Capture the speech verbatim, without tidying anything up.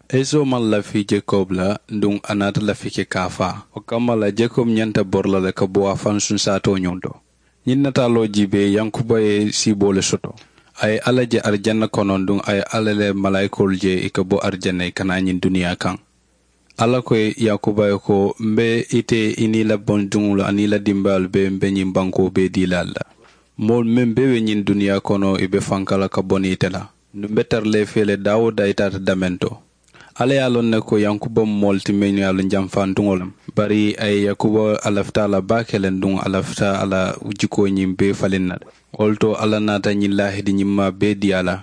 Esau maŋ lafi jakob la, nduŋ a naata lafi ke ka a faa. Wo kamma la jakob ñanta bori la le ka bo a faŋ sunsaatoo ñoŋ to. Ñiŋ nataaloo jiibee yankuba ye siiboo le soto. A ye alla je arijanna kono nduŋ a ye alla le malaayikoolu je ì ka bo arijanna ì ka naa ñiŋ duniyaa kaŋ. Alla ko yankuba ye ko, m̀ be ite i niŋ i la bondiŋolu aniŋ i la dimbayaalu bee m̀ be ñiŋ bankoo bee dii la ali la. Moolu meŋ bee be ñiŋ duniyaa kono ì be fanka la ka bo niŋ ite la. Nduŋ m̀ be tara la i fee le daawo daa i taata dameŋ to. Alla ye a loŋ ne ko yankuba mu moo le ti meŋ ye a loŋ janfaantuŋo le mu. Bari a ye yankuba a lafita a la baake le nduŋ a lafita a la jikoo ñiŋ bee faliŋ na le. Wo le to alla naata ñiŋ laahidi ñimmaa bee dii a la.